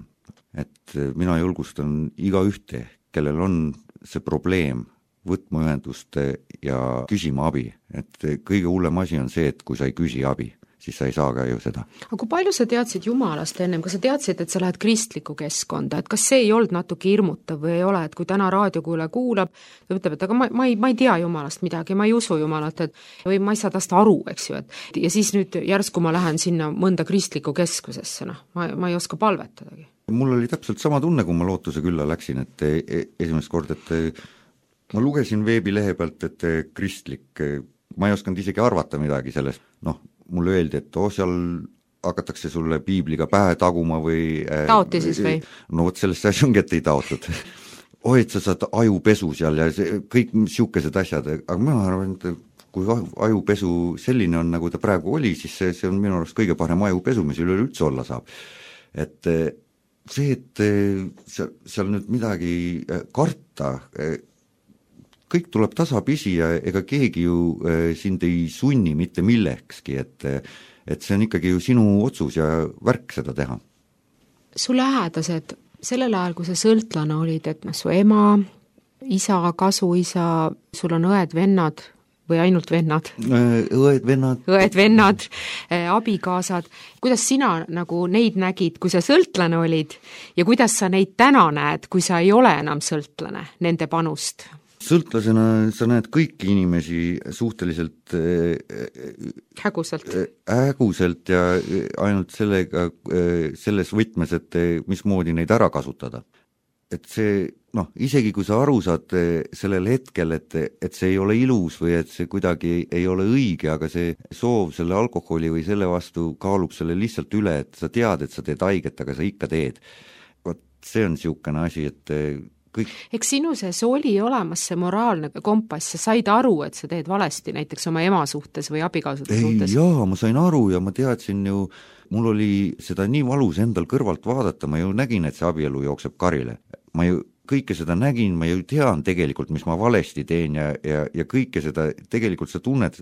et mina julgustan igaühte, kellel on see probleem, võtma ühendust ja küsima abi, et kõige hullem asi on see, et kui sa ei küsi abi, siis sa ei saa ka ju seda. Aga kui palju sa teadsid Jumalast ennem, kas sa teadsid, et sa lähed kristlikku keskkonda, et kas see ei olnud natuke hirmutav või ei ole, et kui täna raadiokuulaja kuulab, ta ütleb, et aga ma ei tea Jumalast midagi, ma ei usu Jumalat, et või ma ei saa tast aru, eks ju, et ja siis nüüd järsku ma lähen sinna mõnda kristlikku keskusesse, ma ei oska palvetadagi. Mul oli täpselt sama tunne, kui ma Lootuse külla läksin, et esimest kord, et ma lugesin veebilehe pealt, et kristlik, ma ei osanud isegi arvata midagi sellest, mulle öeldi, et seal hakatakse sulle piibliga pähe taguma või taoti siis või? No vot sellest asja ongi, et ei taotud. Et sa saad ajupesu seal ja kõik siukesed asjad, aga ma arvan, et kui ajupesu selline on, nagu ta praegu oli, siis see on minu arust kõige parem ajupesu, mis üleüldse olla saab. Et see, et seal nüüd midagi karta, kõik tuleb tasapisi ja ega keegi ju sind ei sunni mitte millekski, et see on ikkagi ju sinu otsus ja värk seda teha. Su lähedased, sellel ajal, kui sa sõltlane olid, et su ema, isa, kasuisa, sul on õed, vennad või ainult vennad? Õed, vennad, abikaasad. Kuidas sina nagu neid nägid, kui sa sõltlane olid ja kuidas sa neid täna näed, kui sa ei ole enam sõltlane, nende panust? Sõltlasena sa näed kõiki inimesi suhteliselt häguselt ja ainult selles võtmes, et mismoodi neid ära kasutada. Et see, isegi kui sa aru saad sellel hetkel, et see ei ole ilus või et see kuidagi ei ole õige, aga see soov selle alkoholi või selle vastu kaalub selle lihtsalt üle, et sa tead, et sa teed haiget, aga sa ikka teed. Vot see on niisugune asi, et kõik. Eks sinu sees oli olemas see moraalne kompass, sa said aru, et sa teed valesti näiteks oma ema suhtes või abikaasade suhtes? Jaa, ma sain aru ja ma teadsin ju, mul oli seda nii valus endal kõrvalt vaadata, ma ju nägin, et see abielu jookseb karile. Ma ju kõike seda nägin, ma ju tean tegelikult, mis ma valesti teen ja kõike seda, tegelikult sa tunned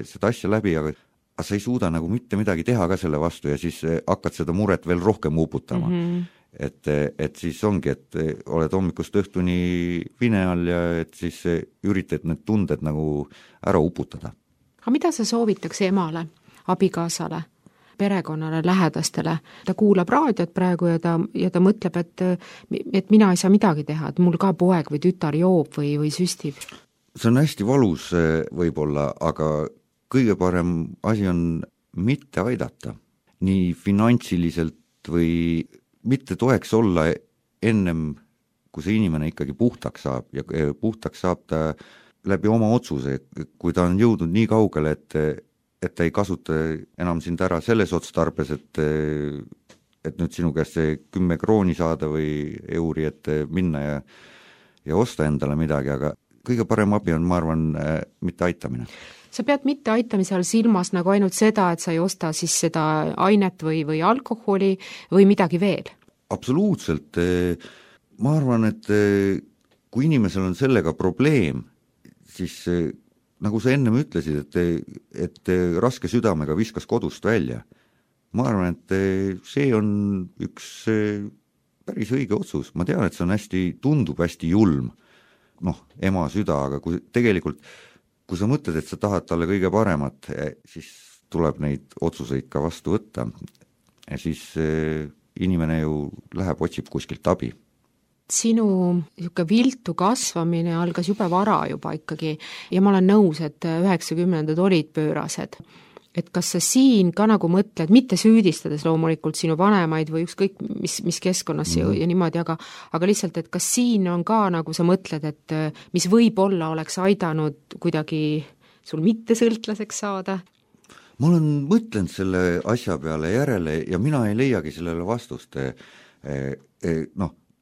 seda asja läbi, aga sa ei suuda nagu mitte midagi teha ka selle vastu ja siis hakkad seda muret veel rohkem uputama. Et siis ongi, et oled hommikust õhtuni vine all ja et siis üritad need tunded nagu ära uputada. Aga mida sa soovitaks emale, abikaasale, perekonnale, lähedastele? Ta kuulab raadiot praegu ja ta mõtleb, et mina ei saa midagi teha, et mul ka poeg või tütar joob või süstib. See on hästi valus võib-olla, aga kõige parem asi on mitte aidata, nii finantsiliselt või mitte toeks olla ennem, kui see inimene ikkagi puhtaks saab ja puhtaks saab ta läbi oma otsuse, kui ta on jõudnud nii kaugele, et ta ei kasuta enam sind ära selles otstarbes, et nüüd sinu käest see 10 krooni saada või euri, et minna ja osta endale midagi, aga kõige parem abi on, ma arvan, mitte aitamine. Sa pead mitte aitamise all silmas nagu ainult seda, et sa ei osta siis seda ainet või alkoholi või midagi veel? Absoluutselt. Ma arvan, et kui inimesel on sellega probleem, siis nagu sa ennem ütlesid, et raske südamega viskas kodust välja. Ma arvan, et see on üks päris õige otsus. Ma tean, et see tundub hästi julm, ema süda, aga kui tegelikult kui sa mõtled, et sa tahad talle kõige paremat, siis tuleb neid otsuseid ka vastu võtta ja siis inimene ju läheb, otsib kuskilt abi. Sinu viltu kasvamine algas jube vara juba ikkagi ja ma olen nõus, et 90-ndad olid pöörased. Et kas sa siin ka nagu mõtled, mitte süüdistades loomulikult sinu vanemaid või ükskõik mis keskkonnas ja niimoodi, aga lihtsalt, et kas siin on ka nagu sa mõtled, et mis võib-olla oleks aidanud kuidagi sul mitte sõltlaseks saada? Ma olen mõtlenud selle asja peale järele ja mina ei leiagi sellele vastust.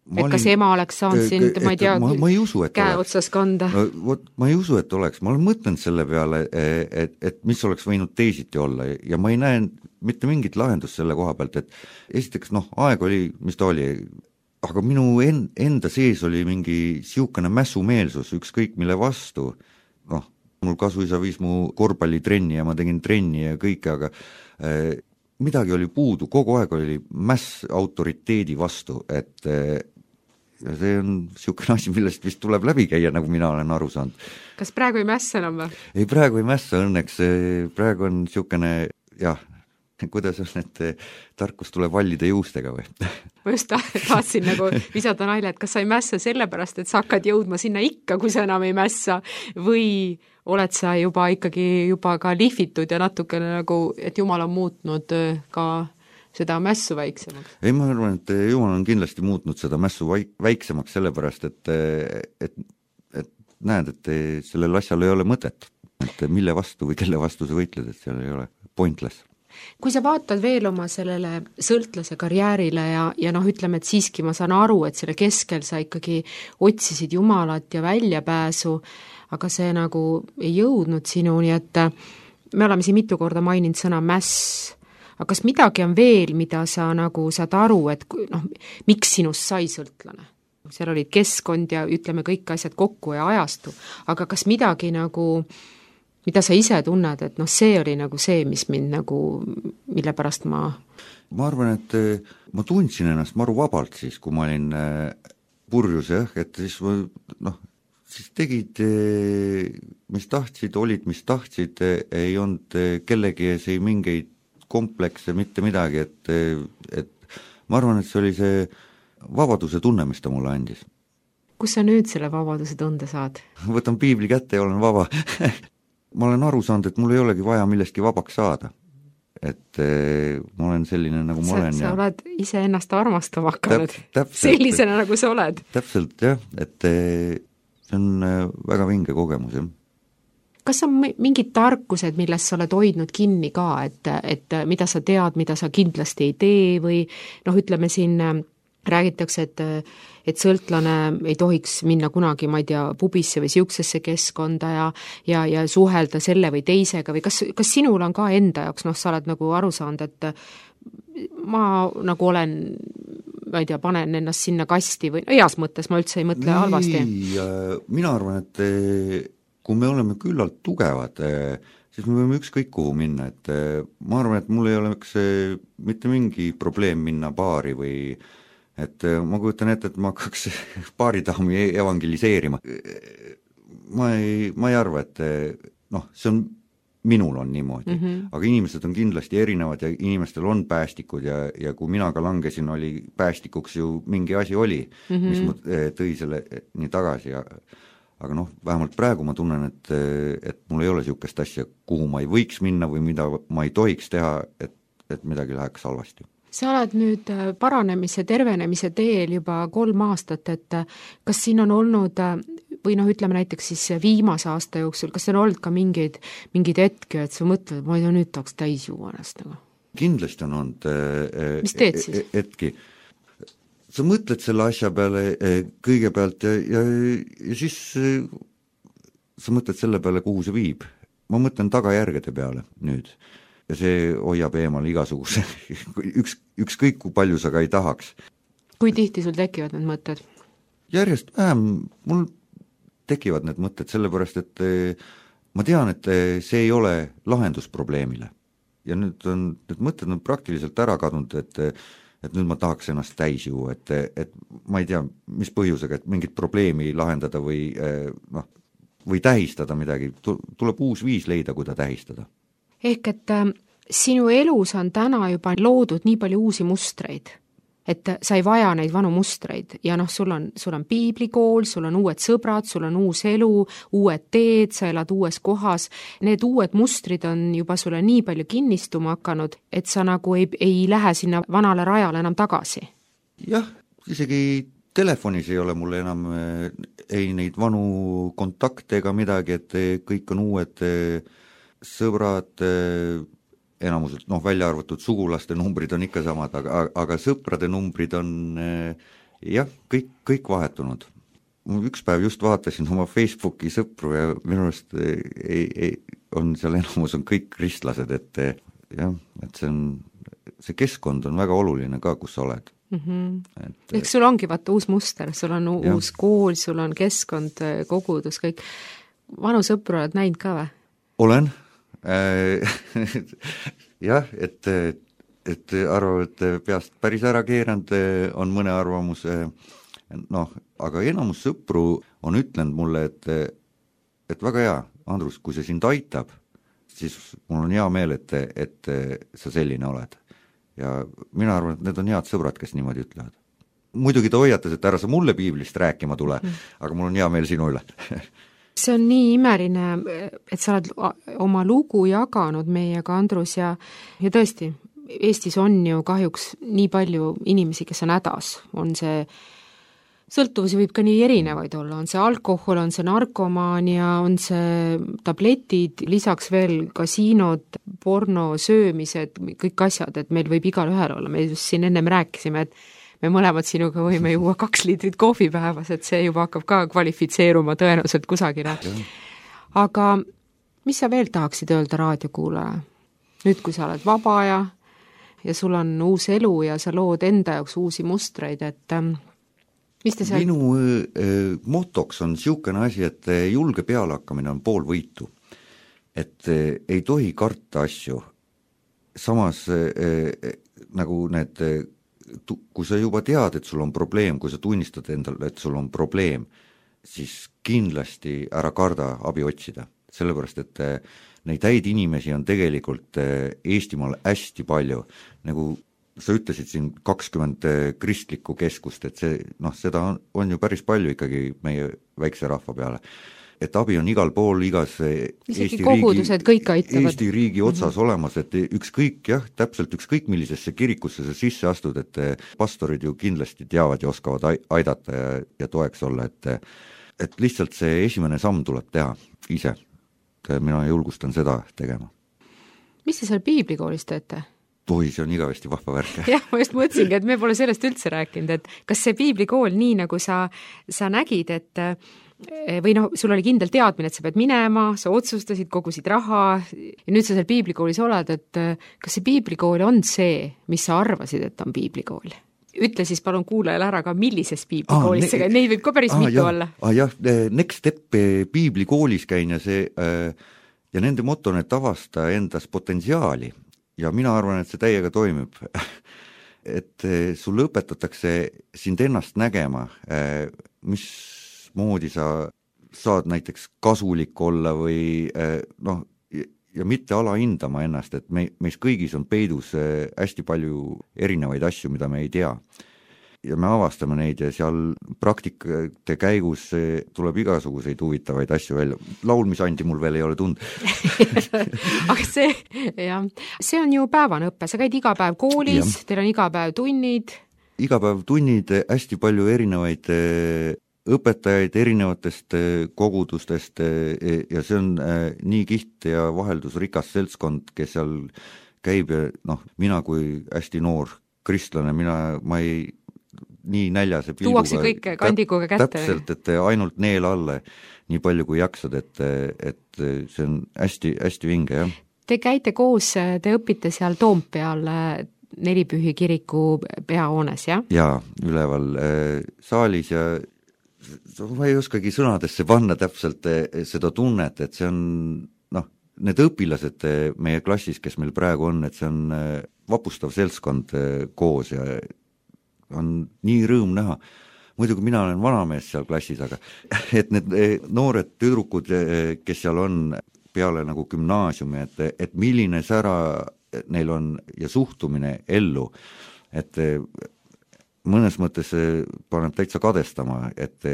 Kas ema oleks saanud sind, ma ei tea, ma ei usu, käe otsas kanda? Ma ei usu, et oleks. Ma olen mõtlenud selle peale, et mis oleks võinud teisiti olla ja ma ei näe mitte mingit lahendust selle koha pealt, et esiteks, aeg oli, mis ta oli, aga minu enda sees oli mingi siukene mässumeelsus, ükskõik mille vastu. Mul kasuisa viis mu korvpallitrenni ja ma tegin trenni ja kõike, aga midagi oli puudu, kogu aeg oli mäss autoriteedi vastu, et ja see on niisugune asi, millest vist tuleb läbi käia, nagu mina olen aru saanud. Kas praegu ei mässa enam või? Ei, praegu ei mässa õnneks, praegu on niisugune, jah, kuidas on, et tarkus tuleb vallide juustega või? Ma just tahtsin nagu visata naile, et kas sa ei mässa sellepärast, et sa hakkad jõudma sinna ikka, kui sa enam ei mässa, või oled sa juba ikkagi juba ka lihvitud ja natukene nagu, et Jumal on muutnud ka seda mässu väiksemaks? Ei, ma arvan, et Jumal on kindlasti muutnud seda mässu väiksemaks sellepärast, et näed, et sellel asjal ei ole mõtet. Et mille vastu või kelle vastu sa võitled, et seal ei ole pointless. Kui sa vaatad veel oma sellele sõltlase karjäärile ja noh, ütleme, et siiski ma saan aru, et selle keskel sa ikkagi otsisid Jumalat ja väljapääsu, aga see nagu ei jõudnud sinuni, et me oleme siin mitu korda maininud sõna mäss, aga kas midagi on veel, mida sa nagu saad aru, et noh, miks sinust sai sõltlane? Seal olid keskkond ja ütleme kõik asjad kokku ja ajastu, aga kas midagi nagu mida sa ise tunned, et noh, see oli nagu see, mis mind nagu, mille pärast ma arvan, et ma tundsin ennast maru vabalt siis, kui ma olin purjus, et siis noh, siis tegid, mis tahtsid, olid, mis tahtsid, ei olnud kellegi ees ei mingeid komplekse, mitte midagi, et ma arvan, et see oli see vabaduse tunne, mis ta mulle andis. Kus sa nüüd selle vabaduse tunde saad? Võtan piibli kätte ja olen vaba. Ma olen aru saanud, et mul ei olegi vaja millestki vabaks saada. Et ma olen selline, nagu ma olen. Sa oled ise ennast armastama hakanud sellisena, nagu sa oled. Täpselt, jah, et see on väga vinge kogemus, jah. Kas on mingid tarkused, millest sa oled hoidnud kinni ka, et mida sa tead, mida sa kindlasti ei tee või noh, ütleme siin räägitakse, et sõltlane ei tohiks minna kunagi, ma ei tea, pubisse või siuksesse keskkonda ja suhelda selle või teisega või kas sinul on ka enda jaoks, noh, sa oled nagu aru saanud, et ma nagu olen, ma ei tea, panen ennast sinna kasti või heas mõttes, ma üldse ei mõtle halvasti. Mina arvan, et kui me oleme küllalt tugevad, siis me võime ükskõik kuhu minna, et ma arvan, et mul ei oleks mitte mingi probleem minna baari või et ma kujutan ette, et ma hakkaks baaridaami evangeliseerima. Ma ei arva, et noh, see on, minul on niimoodi, aga inimesed on kindlasti erinevad ja inimestel on päästikud ja kui mina ka langesin, oli päästikuks ju mingi asi oli, mis ma tõi selle nii tagasi aga noh, vähemalt praegu ma tunnen, et mul ei ole niisugust asja, kuhu ma ei võiks minna või mida ma ei tohiks teha, et midagi läheks halvasti. Sa oled nüüd paranemise, tervenemise teel juba 3 aastat, et kas siin on olnud, või noh, ütleme näiteks siis viimase aasta jooksul, kas on olnud ka mingeid hetki, et sa mõtled, ma ei tea, nüüd tahaks täis juua ennast nagu? Kindlasti on olnud mis teed siis? Hetki. Sa mõtled selle asja peale kõigepealt ja siis sa mõtled selle peale, kuhu see viib. Ma mõtlen tagajärgede peale nüüd. Ja see hoiab eemal igasuguse, ükskõik kui palju sa ka ei tahaks. Kui tihti sul tekivad need mõtted? Järjest vähem, mul tekivad need mõtted, sellepärast, et ma tean, et see ei ole lahendus probleemile. Ja nüüd on, need mõtted on praktiliselt ära kadunud, et nüüd ma tahaks ennast täis juua, et ma ei tea, mis põhjusega, et mingit probleemi lahendada või tähistada midagi, tuleb uus viis leida, kui ta tähistada. Ehk et sinu elus on täna juba loodud nii palju uusi mustreid, et sa ei vaja neid vanu mustreid ja noh, sul on piiblikool, sul on uued sõbrad, sul on uus elu, uued teed, sa elad uues kohas, need uued mustrid on juba sulle nii palju kinnistuma hakanud, et sa nagu ei lähe sinna vanale rajale enam tagasi. Jah, isegi telefonis ei ole mul enam ei neid vanu kontakte ega midagi, et kõik on uued sõbrad, enamuselt, noh, välja arvatud sugulaste numbrid on ikka samad, aga sõprade numbrid on jah, kõik vahetunud. Üks päev just vaatasin oma Facebooki sõpru ja minu arust on seal enamus on kõik kristlased, et jah, et see keskkond on väga oluline ka, kus sa oled. Ehk sul ongi vaata uus muster, sul on uus kool, sul on keskkond, kogudus, kõik. Vanu sõpru oled näinud ka või? Olen. Jah, et ma arvan, et see on, see keskkond on väga oluline ka, kus sa oled. Ehk sul ongi vaata uus muster, sul on uus kool, sul on keskkond, kogudus, kõik. Vanu sõpru oled näinud ka või? Olen. Jah, et ma arvan, et see on, see keskkond on väga oluline ka, kus sa oled. et arvavad, et peast päris ära keeranud on mõne arvamus, noh, aga enamus sõpru on ütlenud mulle, et väga hea, Andrus, kui see sind aitab, siis mul on hea meel, et sa selline oled. Ja mina arvan, et need on head sõbrad, kes niimoodi ütlevad. Muidugi ta hoiatas, et ära sa mulle piiblist rääkima tule, aga mul on hea meel sinu üle. See on nii imeline, et sa oled oma lugu jaganud meiega, Andrus, ja tõesti, Eestis on ju kahjuks nii palju inimesi, kes on hädas. On see, sõltuvusi võib ka nii erinevaid olla, on see alkohol, on see narkomaania, on see tabletid, lisaks veel kasiinod, porno, söömised, kõik asjad, et meil võib igal ühel olla. Me just siin ennem rääkisime, et me mõlemad sinuga võime juua 2 liitrit kohvi päevas, et see juba hakkab ka kvalifitseeruma tõenäoliselt kusagile. Aga mis sa veel tahaksid öelda raadiokuulaja? Nüüd, kui sa oled vaba ja sul on uus elu ja sa lood enda jaoks uusi mustreid, et mis te seal... Minu motoks on niisugune asi, et julge pealehakkamine on pool võitu. Et ei tohi karta asju. Samas nagu need... kui sa juba tead, et sul on probleem, kui sa tunnistad endale, et sul on probleem, siis kindlasti ära karda abi otsida. Sellepärast, et neid häid inimesi on tegelikult Eestimaal hästi palju. Nagu sa ütlesid siin 20 kristlikku keskust, et see, noh, seda on ju päris palju ikkagi meie väikse rahva peale. Et abi on igal pool, igas Eesti riigi otsas olemas, et ükskõik, jah, täpselt ükskõik millisesse kirikusse sa sisse astud, et pastorid ju kindlasti teavad ja oskavad aidata ja toeks olla, et lihtsalt see esimene samm tuleb teha ise. Mina julgustan seda tegema. Mis te seal piiblikoolis teete? See on igavesti vahva värk. Jah, ma just mõtlesingi, et me pole sellest üldse rääkinud, et kas see piiblikool nii, nagu sa nägid, et või noh, sul oli kindel teadmine, et sa pead minema, sa otsustasid, kogusid raha ja nüüd sa seal piiblikoolis oled, et kas see piiblikool on see, mis sa arvasid, et on piiblikool? Ütle siis palun kuulajale ära ka, millises piiblikoolis neid võib ka päris mitu olla. Jah, Next Step piiblikoolis käin ja nende moto on, et avasta endas potentsiaali ja mina arvan, et see täiega toimib. Et sulle õpetatakse sind ennast nägema, mis moodi sa saad näiteks kasulik olla või noh, ja mitte alahindama ennast, et meis kõigis on peidus hästi palju erinevaid asju, mida me ei tea. Ja me avastame neid ja seal praktikate käigus tuleb igasuguseid huvitavaid asju välja. Laulmisandi mul veel ei ole tund. Aga see on ju päevane õppe, sa käid iga päev koolis, teil on iga päev tunnid. Iga päev tunnid, hästi palju erinevaid õpetajaid erinevatest kogudustest ja see on nii kiht ja vaheldusrikas seltskond, kes seal käib ja noh, mina kui hästi noor kristlane, ma ei nii näljase pilguga. Tuuakse kõike kandikuga kätte. Täpselt, et ainult neel alle nii palju kui jaksad, et see on hästi, hästi vinge, jah. Te käite koos, te õpite seal Toompeal Nelipühi kiriku peahoones, jah? Jaa, üleval saalis ja ma ei oskagi sõnadesse panna täpselt seda tunnet, et see on, noh, need õpilased meie klassis, kes meil praegu on, et see on vapustav seltskond koos ja on nii rõõm näha. Muidugi mina olen vanamees seal klassis, aga et need noored tüdrukud, kes seal on peale nagu gümnaasiumi, et milline sära neil on ja suhtumine ellu, et mõnes mõttes paneb täitsa kadestama, et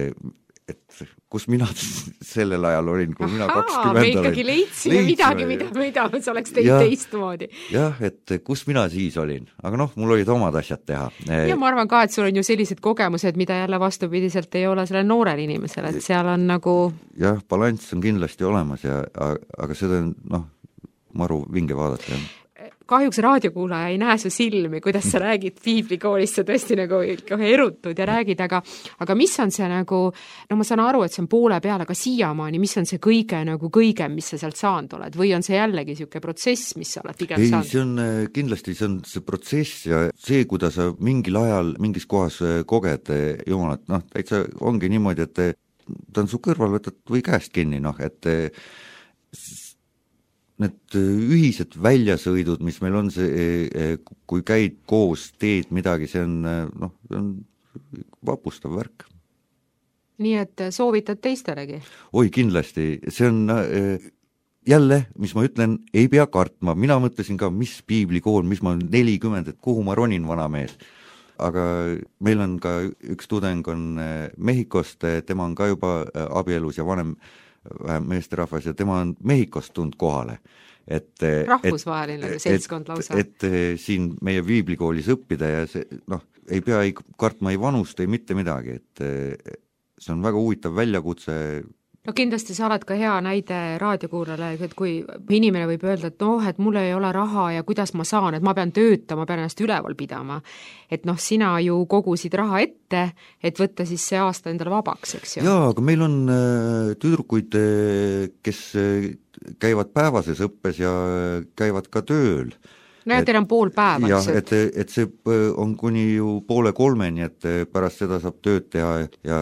kus mina sellel ajal olin, kui mina 20 me ikkagi leidsime midagi, mida sa oleks teinud teistmoodi. Jah, et kus mina siis olin, aga noh, mul olid omad asjad teha. Ja ma arvan ka, et sul on ju sellised kogemused, mida jälle vastupidiselt ei ole selle noorel inimesel, et seal on nagu... Jah, balanss on kindlasti olemas, aga seda on, noh, maru vinge vaadata, jah. Kahjuks raadiokuulaja ei näe su silmi, kuidas sa räägid piiblikoolist, sa tõesti nagu kohe erutud ja räägid, aga mis on see nagu, no ma saan aru, et see on poole peal, aga siiamaani, mis on see kõigem, mis sa sealt saanud oled, või on see jällegi siuke protsess, mis sa oled pigem saanud? Ei, see on kindlasti, see on see protsess ja see, kuidas sa mingil ajal mingis kohas koged Jumalat, noh, täitsa ongi niimoodi, et ta on su kõrval, võtad või käest kinni, noh, et need ühised väljasõidud, mis meil on, see, kui käid koos, teed midagi, see on vapustav värk. Nii et soovitad teistelegi? Oi, kindlasti, see on jälle, mis ma ütlen, ei pea kartma, mina mõtlesin ka, mis piiblikool, mis ma 40, et kuhu ma ronin, vana mees. Aga meil on ka üks tudeng on Mehhikost, tema on ka juba abielus ja vanem meesterahvas ja tema on Mehhikost tulnud kohale. Rahvusvaheline seltskond lausa. Et siin meie piiblikoolis õppida ja see, ei pea kartma ei vanust, ei mitte midagi, et see on väga huvitav väljakutse. No kindlasti sa oled ka hea näide raadiokuulajale, et kui inimene võib öelda, et mul ei ole raha ja kuidas ma saan, et ma pean töötama, pean ennast üleval pidama. Et sina ju kogusid raha ette, et võtta siis see aasta endale vabaks, eks ju? Jaa, aga meil on tüdrukuid, kes käivad päevases õppes ja käivad ka tööl. No ja teil on pool päeva. Jah, et see on kuni ju 2:30, et pärast seda saab tööd teha ja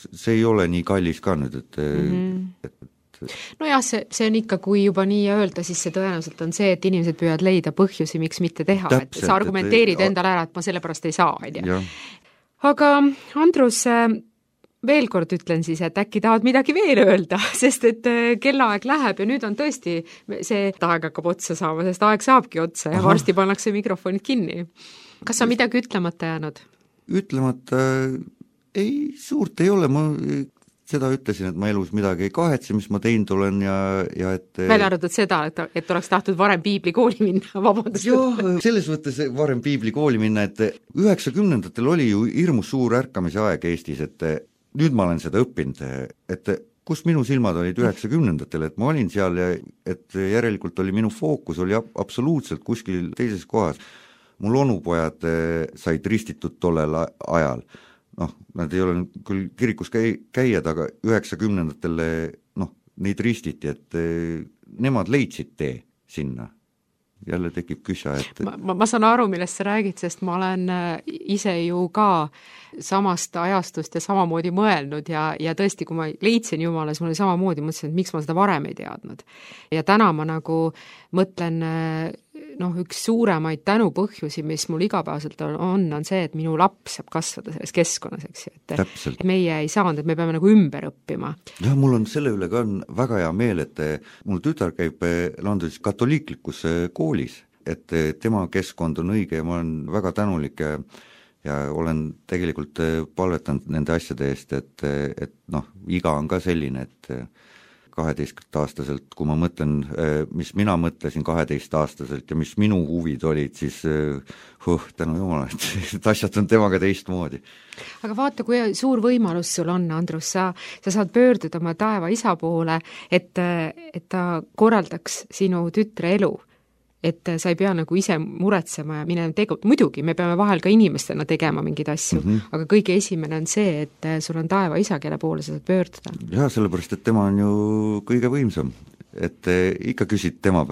see ei ole nii kallis ka nüüd, No jah, see on ikka, kui juba nii öelda, siis see tõenäoliselt on see, et inimesed püüavad leida põhjusi, miks mitte teha, täpselt, et sa argumenteerid endale ära, et ma selle pärast ei saa, Aga Andrus, veel kord ütlen siis, et äkki tahad midagi veel öelda, sest et kellaaeg läheb ja nüüd on tõesti see, et aeg hakkab otsa saama, sest aeg saabki otsa ja varsti pannakse mikrofonid kinni. Kas on midagi ütlemata jäänud? Ütlemata ei, suurt ei ole, ma seda ütlesin, et ma elus midagi ei kahetse, mis ma teinud olen ja et välja arvatud seda, et oleks tahtnud varem piiblikooli minna, vabandust. Joo, selles mõttes varem piiblikooli minna, et 90-ndatel oli ju hirmus suur ärkamise aeg Eestis, et nüüd ma olen seda õppinud, et kus minu silmad olid 90-ndatel, et ma olin seal ja et järelikult oli minu fookus oli absoluutselt kuskil teises kohas. Mul onupojad said ristitud tollel ajal. Nad ei ole küll kirikus käijad, aga 90-ndatel neid ristiti, et nemad leidsid tee sinna. Jälle tekib küsa, et ma saan aru, millest sa räägid, sest ma olen ise ju ka samast ajastust ja samamoodi mõelnud ja tõesti, kui ma leidsin Jumala, siis mul oli samamoodi, mõtlesin, et miks ma seda varem ei teadnud. Ja täna ma nagu mõtlen, üks suuremaid tänupõhjusi, mis mul igapäevaselt on see, et minu laps saab kasvada selles keskkonnas, eks ju, et meie ei saanud, et me peame nagu ümber õppima. Ja mul on selle üle ka väga hea meel, et mul tütar käib Londonis katoliiklikus koolis, et tema keskkond on õige ja ma olen väga tänulik ja olen tegelikult palvetanud nende asjade eest, et iga on ka selline, et 12-aastaselt, kui ma mõtlen, mis mina mõtlesin 12-aastaselt ja mis minu huvid olid, siis tänu Jumala, et asjad on temaga teistmoodi. Aga vaata, kui suur võimalus sul on, Andrus, sa saad pöörduda oma taeva isa poole, et ta korraldaks sinu tütre elu. Et sa ei pea nagu ise muretsema ja minema muidugi, me peame vahel ka inimestena tegema mingeid asju, aga kõige esimene on see, et sul on taeva isa, kelle poole sa saad pöörduda. Jaa, sellepärast, et tema on ju kõige võimsam, et ikka küsid tema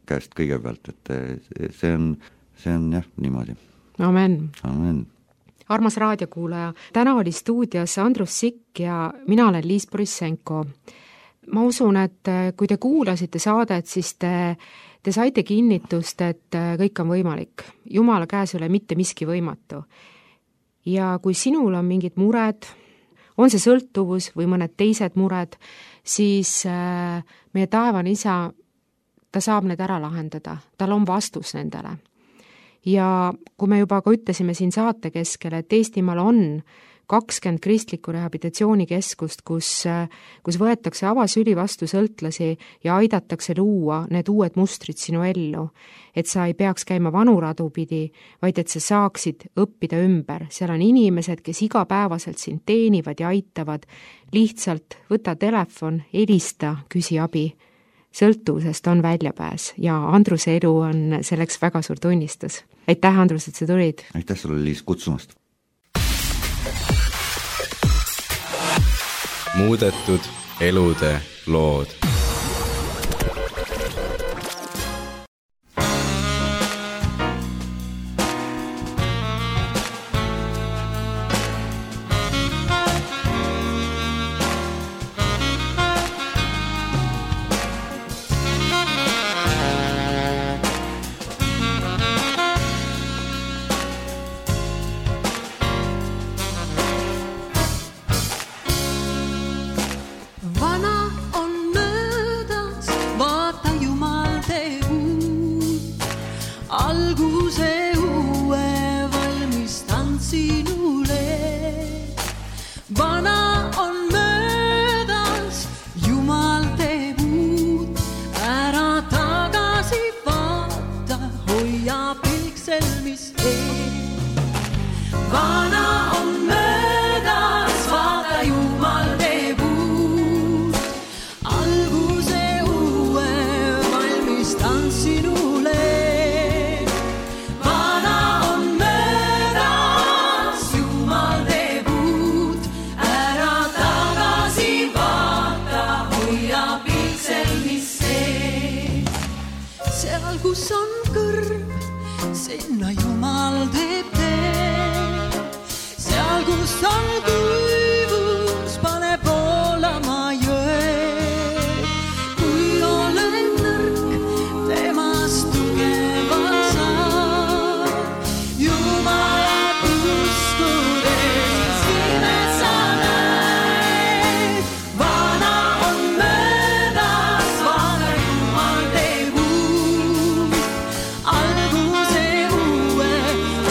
käest kõigepealt, et see on jah, niimoodi. Amen. Amen. Armas raadiokuulaja, täna oli stuudios Andrus Sikk ja mina olen Liis Borissenko. Ma usun, et kui te kuulasite saadet, siis te saite kinnitust, et kõik on võimalik. Jumala käes ei ole mitte miski võimatu. Ja kui sinul on mingid mured, on see sõltuvus või mõned teised mured, siis meie taevane isa, ta saab need ära lahendada. Tal on vastus nendele. Ja kui me juba ka ütlesime siin saate keskel, et Eestimaal on 20 kristliku rehabilitatsioonikeskust, kus võetakse avasüli vastu sõltlasi ja aidatakse luua need uued mustrid sinu ellu. Et sa ei peaks käima vanuradu pidi, vaid et sa saaksid õppida ümber. Seal on inimesed, kes igapäevaselt sind teenivad ja aitavad. Lihtsalt võta telefon, helista, küsi abi. Sõltuvusest on väljapääs ja Andruse elu on selleks väga suur tunnistus. Aitäh, Andrus, et sa tulid! Aitäh sulle, Liis, kutsumast! Muudetud elude lood. seal, kus on kõrv, sinna Jumal teeb tee. Seal, kus on kuivus, pane voolama jõe. Kui olen nõrk, temast tugeva saab. Jumalat uskudes imes sa näed. Vana on möödas, vana Jumal teeb uut. Alguse uue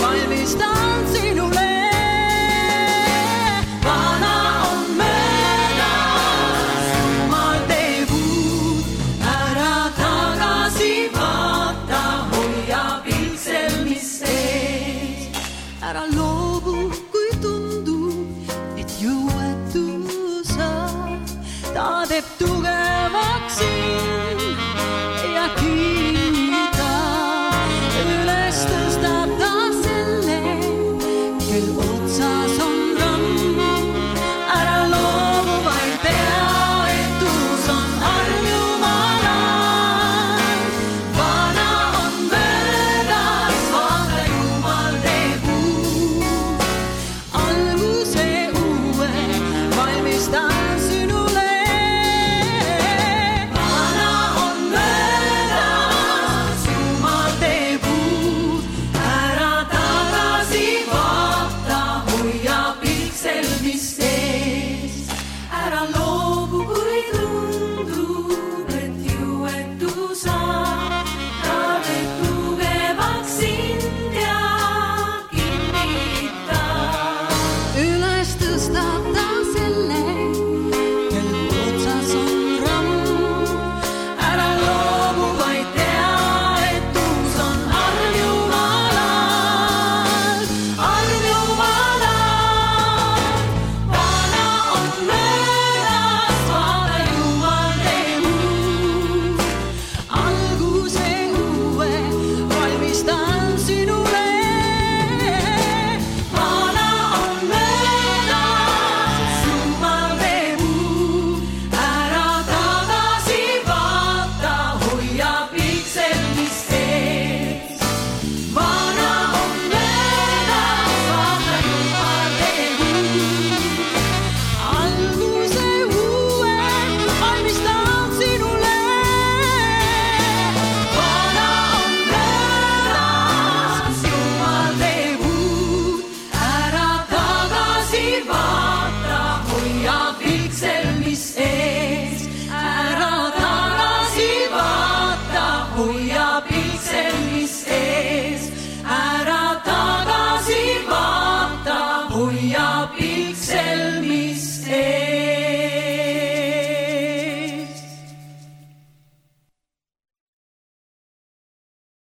valmistan sinule. Vana on möödas, Jumal teeb uut. Ära tagasi vaata, hoia pilsel, mis ees. Ära loobu, kui tundub, et jõuetu sa. Ta teeb tugevaks sind.